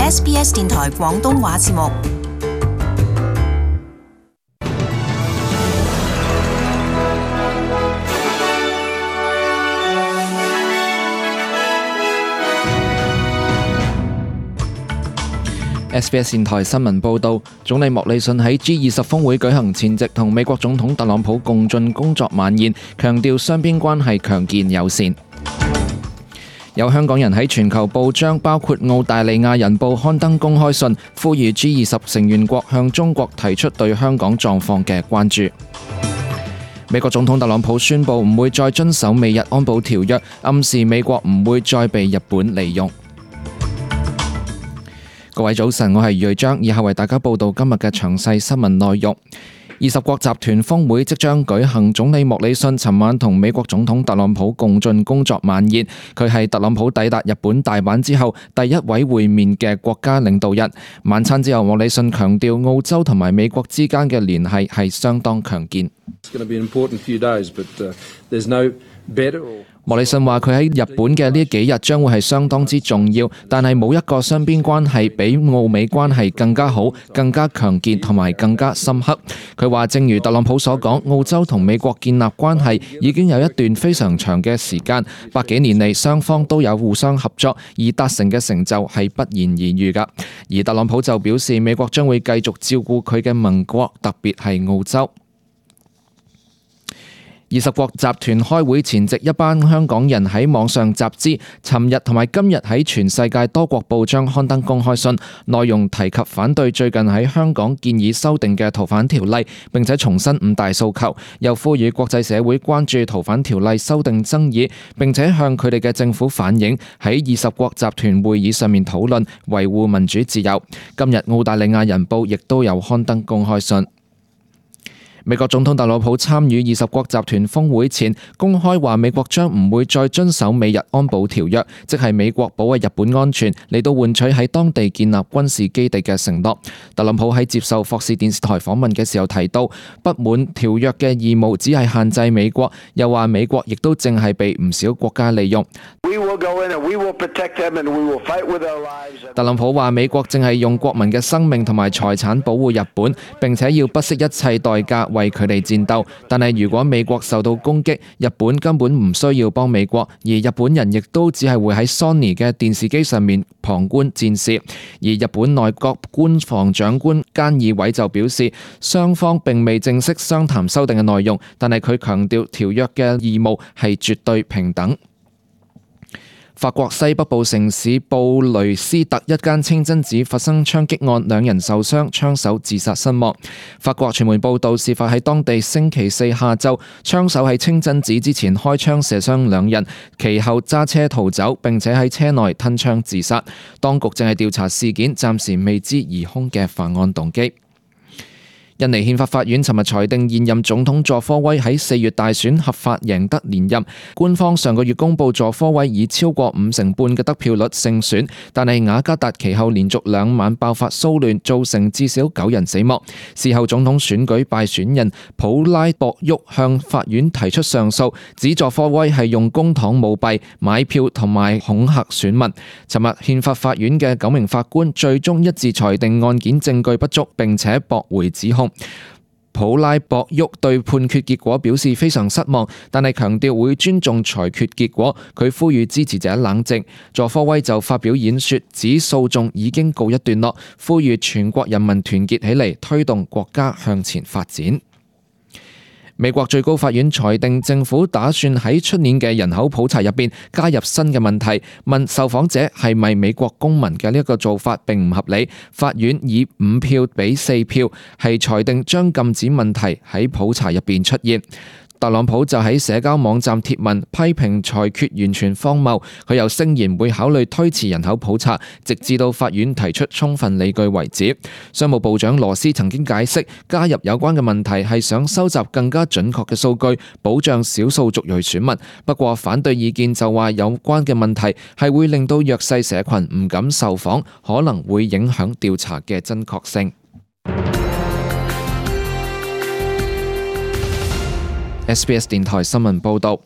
SBS 電台廣東話節目。SBS 電台新聞報導，總理莫里遜喺 G20 峰會舉行前夕同美國總統特朗普共進工作晚宴，強調雙邊關係強健友善。有香港人喺全球報章，包括澳大利亞人報刊登公開信，呼籲 G20 成員國向中國提出對香港狀況嘅關注。美國總統特朗普宣布唔會再遵守美日安保條約，暗示美國唔會再被日本利用。各位早晨，我係余瑞章，以下為大家報道今日嘅詳細新聞內容。20國集團峰會即將舉行，總理莫里遜尋晚同美國總統特朗普共進工作晚宴。佢係特朗普抵達日本大阪之後第一位會面嘅國家領導人。晚餐之後，莫里遜強調澳洲同埋美國之間嘅聯繫係相當強健。莫里遜話佢喺日本嘅呢幾日將會係相當之重要，但係冇一個雙邊關係比澳美關係更加好、更加強健同埋更加深刻。佢話正如特朗普所講，澳洲同美國建立關係已經有一段非常長嘅時間，100幾年嚟雙方都有互相合作，而達成嘅成就係不言而喻㗎。而特朗普就表示美國將會繼續照顧佢嘅盟國，特別係澳洲。20國集團開會前夕，一班香港人喺網上集資，尋日同埋今日喺全世界多國報章刊登公開信，內容提及反對最近喺香港建議修訂嘅逃犯條例，並且重申5大訴求，又呼籲國際社會關注逃犯條例修訂爭議，並且向佢哋嘅政府反映喺20國集團會議上面討論維護民主自由。今日澳大利亞人報亦都有刊登公開信。美國總統特朗普參與20國集團峰會前，公開話美國將唔會再遵守美日安保條約，即係美國保衛日本安全嚟到換取喺當地建立軍事基地嘅承諾。特朗普喺接受霍士電視台訪問嘅時候提到，不滿條約嘅義務只係限制美國，又話美國亦都正係被唔少國家利用。特朗普話美國正係用國民嘅生命同埋財產保護日本，並且要不惜一切代價為佢哋戰鬥。但係如果美國受到攻擊，日本根本唔需要幫美國，而日本人亦都只係會喺 Sony 嘅電視機上面旁觀戰事。而日本內閣官房長官菅義偉就表示，雙方並未正式商談修訂嘅內容，但係佢強調條約嘅義務係絕對平等。法國西北部城市布雷斯特一間清真寺發生槍擊案，2人受傷，槍手自殺身亡。法國傳媒報道，事發喺當地星期四下晝，槍手喺清真寺之前開槍射傷2人，其後揸車逃走，並且喺車內吞槍自殺。當局正係調查事件，暫時未知疑兇嘅犯案動機。印尼憲法法院尋日裁定現任總統佐科威喺4月大選合法贏得連任。官方上個月公佈佐科威以超過50%嘅得票率勝選，但係雅加達其後連續2晚爆發騷亂，造成至少9人死亡。事後總統選舉敗選人普拉博沃向法院提出上訴，指佐科威係用公帑舞弊、買票同埋恐嚇選民。尋日憲法法院嘅9名法官最終一致裁定案件證據不足，並且駁回指控。普拉博沃對判決結果表示非常失望，但係強調會尊重裁決結果。佢呼籲支持者冷靜。佐科威就發表演說，指訴訟已經告一段落，呼籲全國人民團結起嚟，推動國家向前發展。美國最高法院裁定政府打算喺出年嘅人口普查入邊加入新嘅問題，問受訪者係咪美國公民嘅呢一個做法並唔合理。法院以5票比4票係裁定將禁止問題喺普查入邊出現。特朗普就喺社交網站貼文批評裁決完全荒謬，佢又聲言會考慮推遲人口普查，直至到法院提出充分理據為止。商務部長羅斯曾經解釋，加入有關嘅問題係想收集更加準確嘅數據，保障少數族裔選民。不過反對意見就話有關嘅問題係會令到弱勢社群唔敢受訪，可能會影響調查嘅真確性。SBS 電台新聞報導，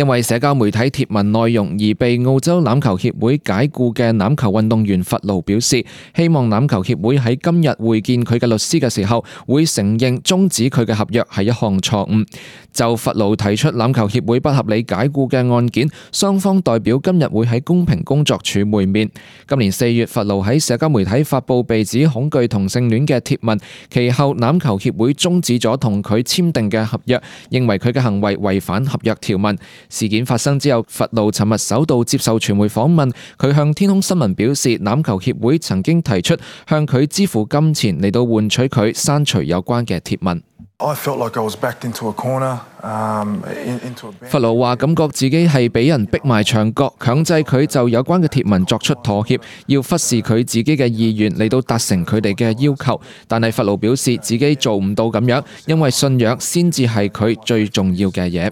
因為社交媒體貼文內容而被澳洲欖球協會解僱嘅欖球運動員弗勞表示，希望欖球協會喺今日會見佢嘅律師嘅時候，會承認終止佢嘅合約係一項錯誤。就弗勞提出欖球協會不合理解僱嘅案件，雙方代表今日會喺公平工作處會面。今年4月，弗勞喺社交媒體發布被指恐懼同性戀嘅貼文，其後欖球協會終止咗同佢簽訂嘅合約，認為佢嘅行為違反合約條文。事件發生之後，弗勞尋日首度接受傳媒訪問，佢向天空新聞表示，欖球協會曾經提出向佢支付金錢嚟到換取佢刪除有關嘅貼文。弗勞話感覺自己係俾人逼埋牆角，強制佢就有關嘅貼文作出妥協，要忽視佢自己嘅意願嚟到達成佢哋嘅要求。但係弗勞表示自己做唔到咁樣，因為信仰先至係佢最重要嘅嘢。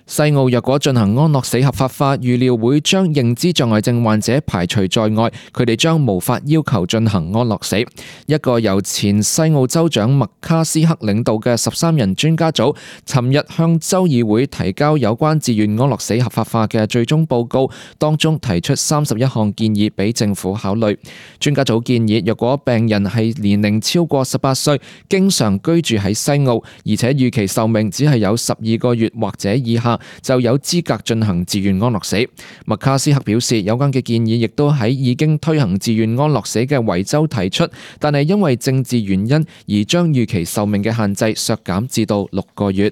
西澳若果進行安樂死合法化，預料會將認知障礙症患者排除在外，佢哋將無法要求進行安樂死。一個由前西澳州長麥卡斯克領導嘅13人專家組，尋日向州議會提交有關自願安樂死合法化嘅最終報告，當中提出31項建議俾政府考慮。專家組建議，若果病人係年齡超過18歲，經常居住喺西澳，而且預期壽命只係有12個月或者以下，就有資格進行自願安樂死。麥卡斯克表示，有關嘅建議亦都喺已經推行自願安樂死嘅維州提出，但係因為政治原因而將預期壽命嘅限制削減至到6個月。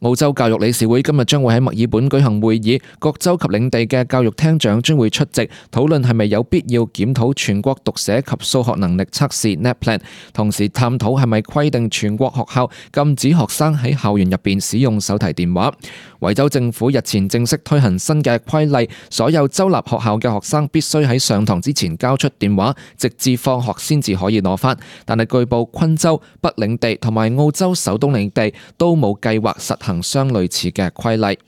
澳洲教育理事會今日將會喺墨爾本舉行會議，各州及領地嘅教育廳長將會出席，討論係咪有必要檢討全國讀寫及數學能力測試 NAPLAN， 同時探討係咪規定全國學校禁止學生喺校園入邊使用手提電話。維州政府日前正式推行新嘅規例，所有州立學校嘅學生必須喺上堂之前交出電話，直至放學先至可以攞返。但係據報，昆州、北領地同埋澳洲首都領地都冇計劃實行相類似嘅規例。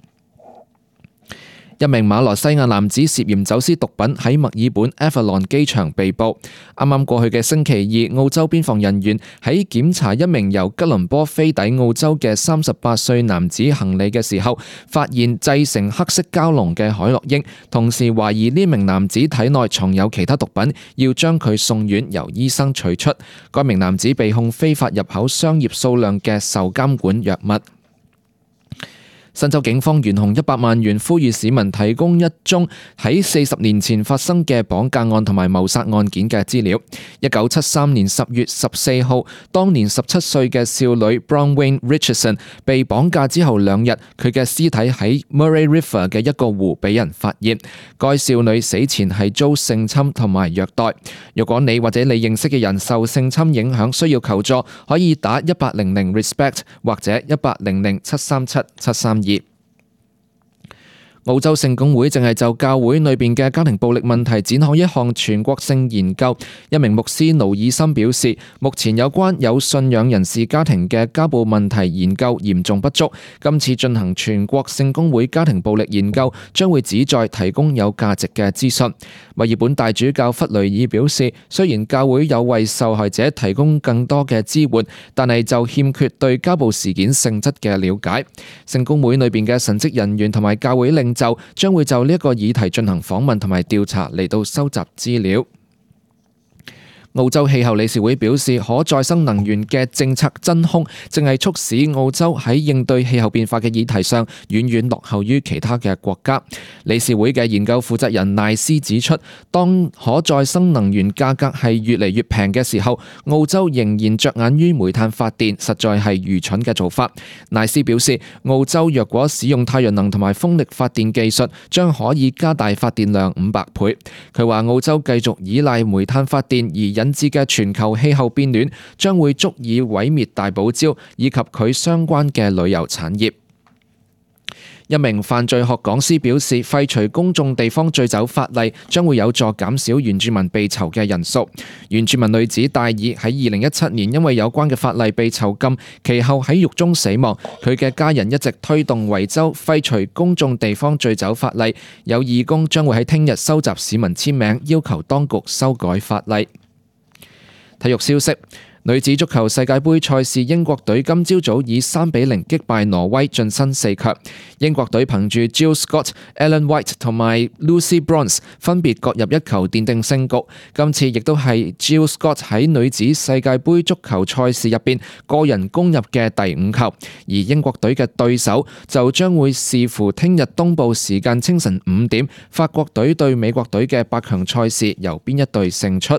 一名馬來西亞男子涉嫌走私毒品喺墨爾本 Avalon 機場被捕。啱啱過去嘅星期二，澳洲邊防人員喺檢查一名由吉隆坡飛抵澳洲嘅38歲男子行李嘅時候，發現製成黑色膠囊嘅海洛因，同時懷疑呢名男子體內藏有其他毒品，要將佢送院由醫生取出。該名男子被控非法入口商業數量嘅受監管藥物。新州警方懸紅100萬元，呼籲市民提供一宗喺40年前發生嘅綁架案同埋謀殺案件嘅資料。1973年10月14號，當年17歲嘅少女 Bronwyn Richardson 被綁架之後2日，佢嘅屍體喺 Murray River 嘅一個湖俾人發現。該少女死前係遭性侵同埋虐待。如果你或者你認識嘅人受性侵影響，需要求助，可以打1800 RESPECT 或者1800 737 732。澳洲聖公會正係就教會裏邊嘅家庭暴力問題展開一項全國性研究。一名牧師勞爾森表示，目前有關有信仰人士家庭嘅家暴問題研究嚴重不足。今次進行全國聖公會家庭暴力研究，將會旨在提供有價值嘅資訊。墨爾本大主教弗雷爾表示，雖然教會有為受害者提供更多嘅支援，但係就欠缺對家暴事件性質嘅了解。聖公會裏邊嘅神職人員同埋教會領袖將會就呢一個議題進行訪問同埋調查，嚟到收集資料。澳洲氣候理事會表示，可再生能源嘅政策真空正係促使澳洲喺應對氣候變化嘅議題上遠遠落後於其他嘅國家。理事會嘅研究負責人賴斯指出，當可再生能源價格係越嚟越平嘅時候，澳洲仍然着眼於煤炭發電，實在係愚蠢嘅做法。賴斯表示，澳洲若果使用太陽能同埋風力發電技術，將可以加大發電量500倍。佢話澳洲繼續依賴煤炭發電而引致嘅全球氣候變暖，將會足以毀滅大堡礁以及佢相關嘅旅遊產業。一名犯罪學講師表示，廢除公眾地方醉酒法例將會有助減少原住民被囚嘅人數。原住民女子戴爾喺2017年因為有關嘅法例被囚禁，其後喺獄中死亡。佢嘅家人一直推動維州廢除公眾地方醉酒法例，有義工將會喺聽日收集市民簽名，要求當局修改法例。體育消息女子足球世界盃賽事，英國隊今朝早以3-0擊敗挪威，晉身4強。英國隊憑住 Jill Scott、Ellen White 同埋 Lucy Bronze 分別各入一球，奠定勝局。今次亦都係 Jill Scott 喺女子世界盃足球賽事入邊個人攻入嘅第5球。而英國隊嘅對手就將會視乎聽日東部時間清晨5點，法國隊對美國隊嘅8強賽事由邊一隊勝出。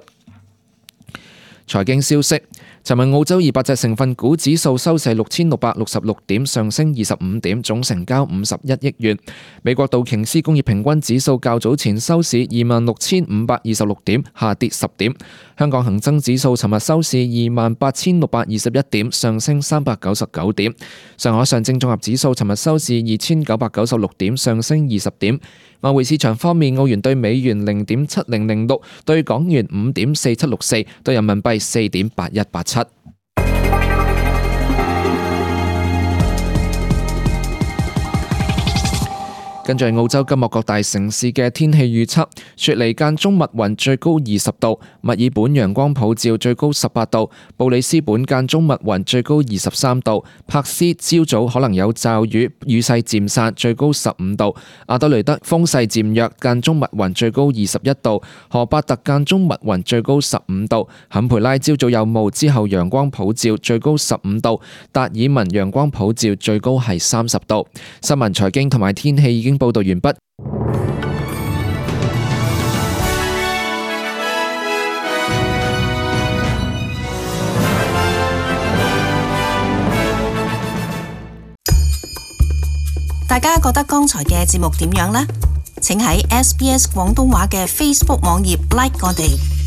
財經消息，尋日澳洲200隻成分股指數收市6666點，上升25點，總成交51億元。美國道瓊斯工業平均指數較早前收市26,526點，下跌10點。香港恒生指數尋日收市28,621點，上升399點。上海上證綜合指數尋日收市2,996點，上升20點。外匯市場方面，澳元對美元0.7006，對港元5.4764，對人民幣4.8187。跟住澳洲今日各大城市嘅天氣預測：雪梨間中密雲，最高20度；墨爾本陽光普照，最高18度；布里斯本間中密雲，最高23度；柏斯朝早可能有驟雨，雨勢漸散，最高15度；阿德雷德風勢漸弱，間中密雲，最高21度；荷伯特間中密雲，最高15度；坎培拉朝早有霧，之後陽光普照，最高15度；達爾文陽光普照，最高係30度。新聞、財經同埋天氣已經報道完畢。大家覺得剛才嘅節目點樣呢？請喺SBS 廣東話嘅 Facebook 網頁 like 我哋。